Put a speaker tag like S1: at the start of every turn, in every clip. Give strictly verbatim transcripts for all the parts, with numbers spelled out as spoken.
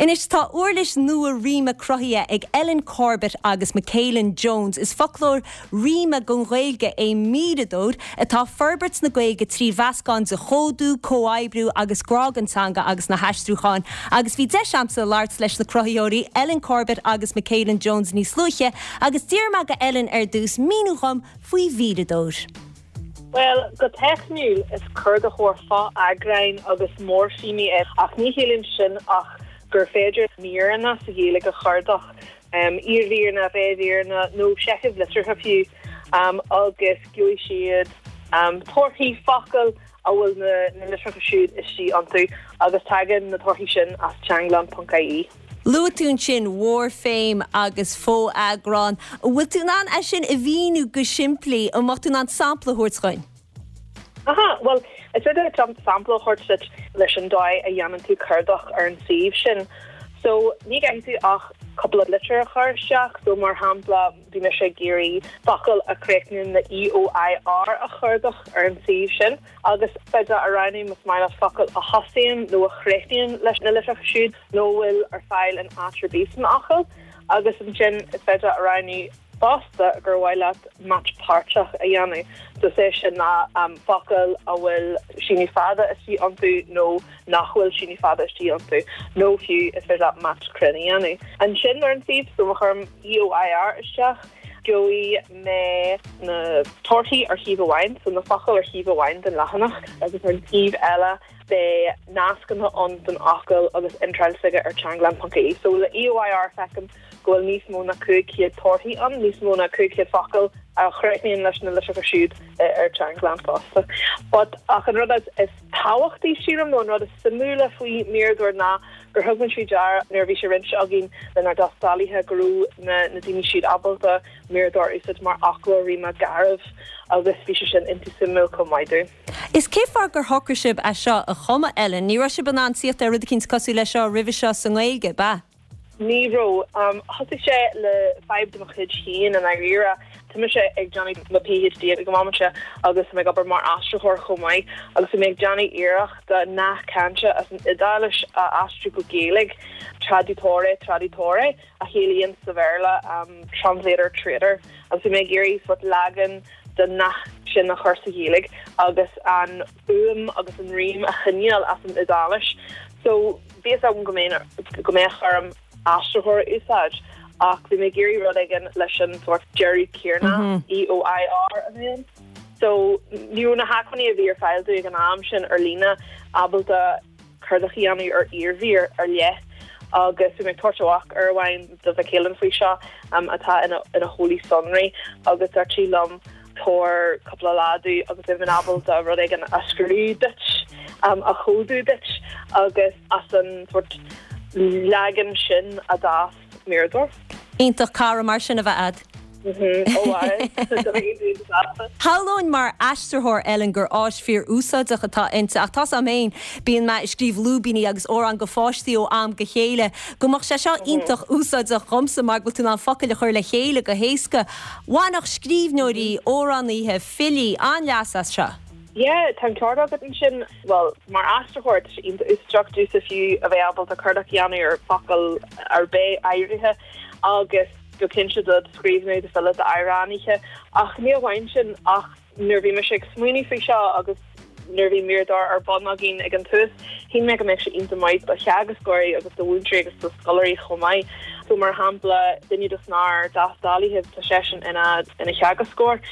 S1: Anois tá uirlis nua ríme cruthaithe ag Ellen Corbett agus McKaylin Jones is foclóir ríme don Ghaeilge é Míreadóir atá forbairt na Gaeilge trí mheascán de chódú, comhoibriú agus grá don teanga agus na haistriúcháin. Agus bhí deis agamsa labhairt leis na cruthaitheoirí Ellen Corbett agus McKaylin Jones níos luaithe agus d'iarr mé ar Ellen ar dtús míniú dhom faoi Mhíreadóir.
S2: Well, go teicniúil is cuardaitheoir fo-eagráin agus moirféimí é ach ní chiallaíonn sin ach gur féidir míreanna sa Ghaeilge a chuardach um, iarmhíreanna réimhíreanna nó seichimh litrithe fiú um, agus gheobhaidh siad um, torthaí focal a bhfuil na, na litreacha siúd istigh iontu agus tagann na torthaí sin as teanglann.ie.
S1: Luaigh tú ansin moirféim agus fo-eagrán, bhfuil tú in ann é sin a mhíniú go simplí an mbeadh tú in ann sampla a thabhairt dúinn.
S2: Aha, well, is féidir sampla a thabhairt leis an dóigh a dhéanann tú cuardach ar an suíomh sin. So ní gá duit ach cúpla litir a chur isteach, so mar shampla bhí mise ag iarraidh focal a chríochnaíonn le EOIR a chuardach ar an suíomh sin. agus féidir a roghnú más maith leat focal a thosaíonn nó a chríochnaíonn leis na litreacha siúd nó bhfuil ar fáil in áit ar bith san fhocal, agus ansin is féidir a roghnú fosta gur mhaith leat match páirteach a dhéanamh. So sé sin ná um, focal a bhfuil síneadh fada istigh iontu nó nach bhfuil síneadh fada istigh iontu, nó fiú is féidir leat match cruinn a dhéanamh. Ansin ar an suíomh so má chuirim EOIR isteach, gheobhaidh mé na torthaí ar thaobh amháin, so na focail ar thaobh amháin den leathanach agus ar an taobh eile beidh nascanna ann don fhocal agus iontráil s'aige ar teanglann.ie. So le EOIR feicim go bhfuil níos mó ná cúig chéad torthaí ann, níos mó ná cúig chéad focal a chríochnaíonn leis na litreacha siúd ar Teanglann fosta. But ach an rud is tábhachtaí sílim nó an rud is suimiúla faoi Míreadóir ná gur thug muid faoi deara nuair bhí sé roinnte againn lenár dtástálaithe go raibh na na daoine siad ábalta Míreadóir a úsáid mar fhoclóir ríme garbh agus bhí sé sin iontach suimiúil chomh maith dúinn.
S1: Is cé fáth gur shocraigh sibh é seo a chumadh Ellen, ní raibh sibh in ann tíocht ar rud éicint cosúil le seo roimhe seo sa nGaeilge ba.
S2: Ní raibh um, thosaigh sé le fadhb de mo chuid féin i ndáiríre. Tá mise ag déanamh mo PhD ag an am seo agus mé ag obair mar aistritheoir chomh maith agus mé ag déanamh iarracht nath cainte as an Iodáilis a aistriú go Gaeilge traditore traditore a chiallaíonn sa Bhéarla um, translator traitor agus mé ag iarraidh sort leagan den nath sin a chur sa Ghaeilge agus an fhuaim agus an rím a choinneáil as an Iodáilis. So bhí am go go mbeadh orm aistritheoir a úsáid ach bhí mé ag iarraidh rud éigin leis an sort deireadh céanna EOIR a bhíonn. So ní na hacmhainní a bhí ar fáil ag an am sin ar líne ábalta cuardach a dhéanamh ar iarmhír ar leith agus bhí mé ag tabhairt amach ar amháin do McKaylin faoi seo um, atá ina ina heolaí sonraí agus dúirt sí liom tabhair cúpla lá domh agus beidh mé ábalta rud éigin a scríobh duit um, a chódú duit agus as an sort leagan sin a d'fhás Míreadóir.
S1: Iontach cara mar sin a bheith agat. Shamhlóinn mar aistritheoir Ellen gur áis fíor-úsáideach atá inti ach tá mé féin bíonn mé ag scríobh lúibíní agus amhráin do pháistí ó am go chéile, go mbeadh sé seo iontach úsáideach dhomsa mar go bhfuil tú in ann focail a chur le chéile go héasca. Bhainfeadh scríbhneoirí, amhránaithe, filí an-leas as seo.
S2: Yeah, tá ceart agat ansin well mar aistritheoir úsáideach domhsa fiú a bheith ábalta cuardach a dhéanamh ar focal ar bith áirithe agus go cinnte do scríbhneoirí do filí d'amhránaithe ach ní amháin sin ach nuair bhí mise ag smaoineamh faoi seo agus nuair bhí Míreadóir ar bun againn ag an tús, shíl mé go mbeadh sé iontach maith do theagascóirí agus do mhúinteoirí agus do scoláirí chomh maith. So mar shampla duine de ár dtástálaithe tá seisean ina ina theagascóir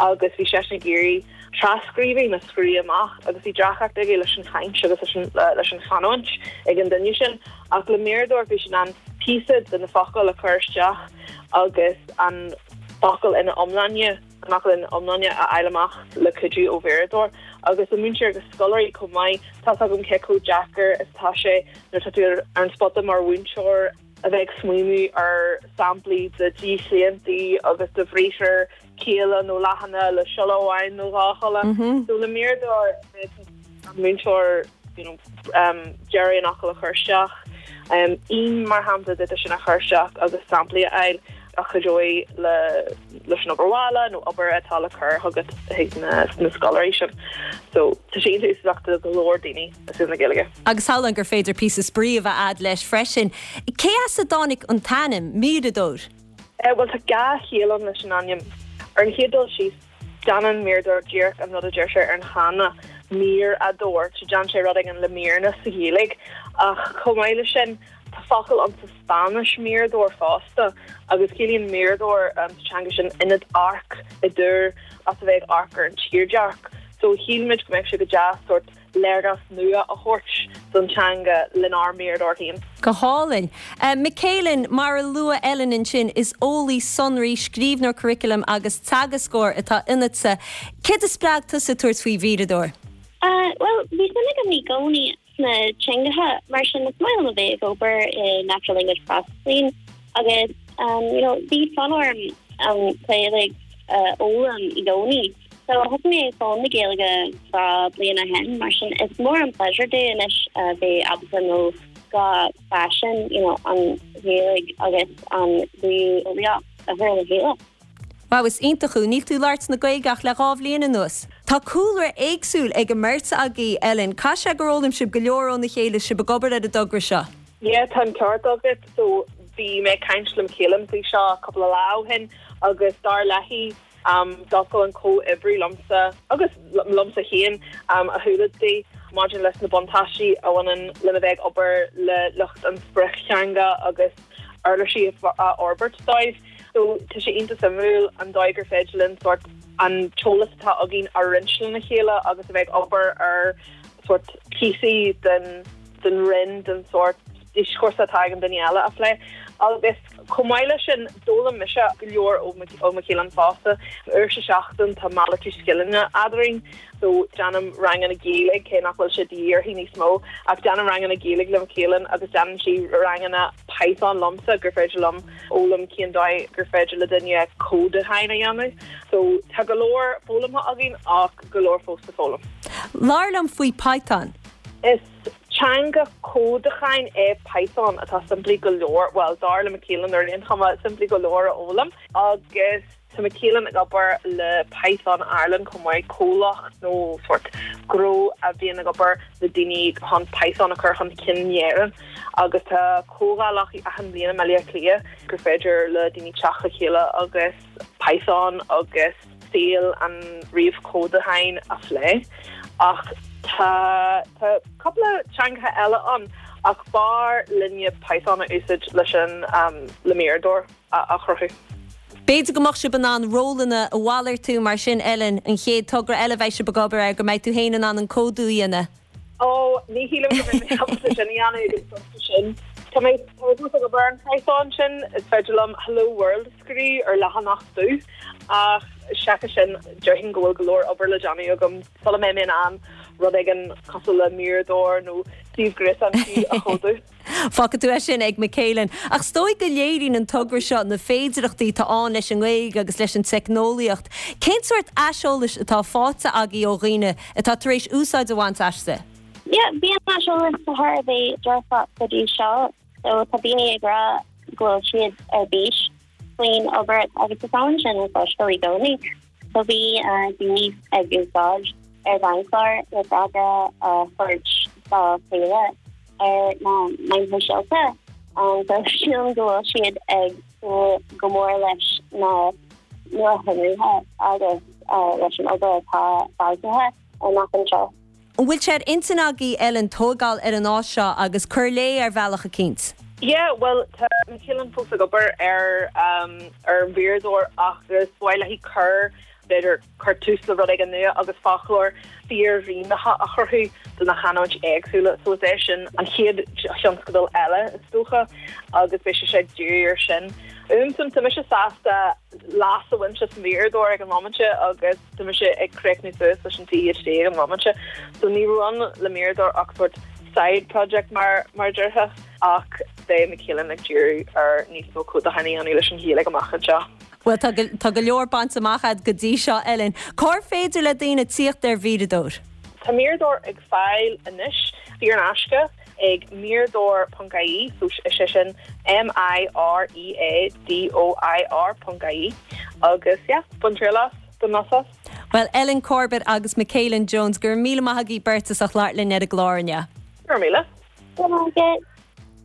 S2: agus bhí seisean ag iarraidh trascríbhinn a scríobh amach agus bhí deacracht aige leis an chaint agus leis an leis an chanúint ag an duine sin ach le Míreadóir bhí sé in ann píosa de na focail a chur isteach agus an focal ina iomláine an focal ina iomláine a fháil amach le cuidiú ó Mhíreadóir agus an múinteoir agus scoláirí chomh maith tá agam cé chomh deacair is atá sé nuair atá tú ar an spota mar mhúinteoir a bheith ag smaoineamh ar samplaí de dhíchlaontaí agus de bhriathra caola nó leathana le siolla amháin nó dhá shiolla. So le Míreadóir an múinteoir you know, um, deireadh an fhocail a chur isteach. Um, ín mar shampla de sin a chur isteach agus samplaí a fháil a chuideoidh le leis an obair bhaile nó obair atá le cur chugat chuig na na scoláirí sin. So tá sé úsáideach do go leor daoine i saol na Gaeilge.
S1: Agus samhlaím gur féidir píosa spraoi a bheith leis freisin. Cé as a dtáinig an t-ainm Míreadóir?
S2: Eh, well tá dhá chiall ann leis an ainm. Ar an chéad dul síos déanann Míreadóir díreach an rud a deir sé ar an channa mír adóir, so déanann sé rud éigin le míreanna sa Ghaeilge ach chomh maith leis sin tá focal ann sa Spáinnis mirador fosta agus ciallaíonn mirador um, sa teanga sin ionad amhairc i dtúr as a bheith ag amharc ar an tírdhreach. So shíl muid go mbeadh sé go deas sort léargas nua a thabhairt don teanga lenár míreadóir féin.
S1: Go hálainn. Uh, Michaelin mar a luaigh Ellen ansin is eolaí sonraí scríbhneoir curaclaim agus teagascóir atá ionatsa. Céard a spreag tusa tabhairt faoi Mhíreadóir?
S3: Uh, well, bhí suim agam i gcónaí sna teangacha mar sin is maith liom a bheith ag obair i natural language processing agus um, you know, bhí fonn orm um, Gaeilge uh, fhoghlaim i gcónaí. So thosaigh mé ag foghlaim na Gaeilge dhá bliain ó shin mar sin is mór an pleasure dom anois uh, bheith ábalta nó dhá phaisean you know, an Ghaeilge agus an ríomheolaíocht a chur le chéile.
S1: Wow, is iontach thú níl tú ag labhairt na Gaeilge ach le dhá bhliain anuas. Tá cúlra éagsúil ag an mbeirt agaibh Ellen, Caithfidh sé gur fhoghlaim sibh go leor óna chéile sibh ag obair ar an dtogra seo.
S2: Yeah, tá an ceart agat so bhí mé ag caint le Michaelin faoi seo cúpla lá ó shin agus dar léi um, d'oscail an comhoibriú liomsa agus liomsa féin um, a shúile di maidir leis na buntáistí a bhaineann lena bheith ag obair le lucht an sprioctheanga agus uirlisí a fhorbairt dóibh. So tá sé iontach suimiúil an dóigh gur féidir linn sort an t-eolas atá againn a roinnt lena chéile agus a bheith ag obair ar sort píosaí den den rinn den sort dioscúrsa atá ag an duine eile a phlé. Agus chomh maith leis sin d'fhoghlaim mise go leor ó Michaelin fosta uair sa seachtain tá malartú scileanna eadrainn, so déanaim ranganna Gaeilge cé nach bhfuil sé díorthaí níos mó ach déanaim ranganna Gaeilge le Michaelin agus déanann sí ranganna Python liomsa gur féidir liom foghlaim cén dóigh gur féidir le duine códachán a dhéanamh. So tá go leor foghlamtha againn ach go leor fós le foghlaim.
S1: Labhair liom faoi Python.
S2: Is teanga códacháin é Python atá simplí go leor, well dar le Michaelin ar aon chuma simplí go leor a fhoghlaim agus tá Michaelin ag obair le Python Ireland chomh maith comhlacht nó sort gnó a bhíonn ag obair le daoine chun Python a chur chun cinn in Éirinn agus tá comhdhálacha achan bhliain i mBaile Átha Cliath gur féidir le daoine teacht le chéile agus Python agus saol an ríomhchódacháin a phlé ach tá tá cúpla teanga eile ann ach b'fhearr linne Python a úsáid leis an um, le Míreadóir a, a chruthú.
S1: B'fhéidir go mbeadh sibh in ann rólanna a mhalartú mar sin Ellen an chéad togra eile bheidh sibh ag obair ar go mbeidh tú féin in ann an códú a dhéanamh.
S2: Ó ní shílim sin sin. Tá mé ag obair an Python sin is féidir liom Hello World scríobh ar leathanach dubh ach seachas sin déarfainn go bhfuil go leor obair le déanamh agam sula mbeidh mé in ann rud éigin cosúil le Míreadóir nó suíomh gréasáin a chódú.
S1: Fágfaidh tú é sin ag Michaelin. Ach is dóigh go léiríonn an togra seo na féidearthachtaí atá ann leis an nGaeilge agus leis an teicneolaíocht. Cén sórt aiseolais atá faighte agaibh ó dhaoine atá tar éis úsáid a bhaint aisti?
S3: Yeah, bhí an aiseolas thar a bheith dearfach go dtí seo, so tá daoine ag rá go bhfuil siad ar bís faoin obair agus is ann sin an fáistal i gcónaí. So bhí uh, daoine ag úsáid ar bhanchlár le freagra a thabhairt dá chéile ar na meáin shóisialta um, so sílim go bhfuil siad ag súil go mór leis na nuashonruithe agus uh, leis an obair atá beartaithe amach anseo.
S1: An bhfuil sé ar intinn agaibh Ellen tógáil ar an áis seo agus cur léi ar bhealach eicínt.
S2: Yeah, well tá Michaelin fós ag obair ar um, ar Mhíreadóir agus b'fhéidir léi cur b'fhéidir cur tús le rud éigin nua agus foclóir fíor-rímeach a chruthú do na canúintí éagsúla so é sin an chéad thionscadal eile is dócha agus beidh sé sé dírithe air sin. Um sam tá mise sásta leas a bhaint as Míreadóir ag an móimint agus tá mise ag críochnú suas leis an PhD ag an móimint so ní raibh ann le Míreadóir ach sort side project mar mar déarfá ach beidh Michaelin ag díriú ar níos mó códacháin a dhéanamh leis an Ghaeilge amach anseo.
S1: Well tá tá go leor bainte amach agat go dtí seo Ellen. Cár féidir le daoine tíocht ar Mhíreadóir?
S2: Tá Míreadóir ag fáil anois saor in aisce ag mireadoir ponc ie so is é sin M I R E A D O I R ponc ie agus yeah, bain triail as don as.
S1: Well Ellen Corbett agus Michaelyn Jones gur míle maith agaibh beirt as labhairt linn ar an gclár inniu.
S2: Gur míle.
S3: Go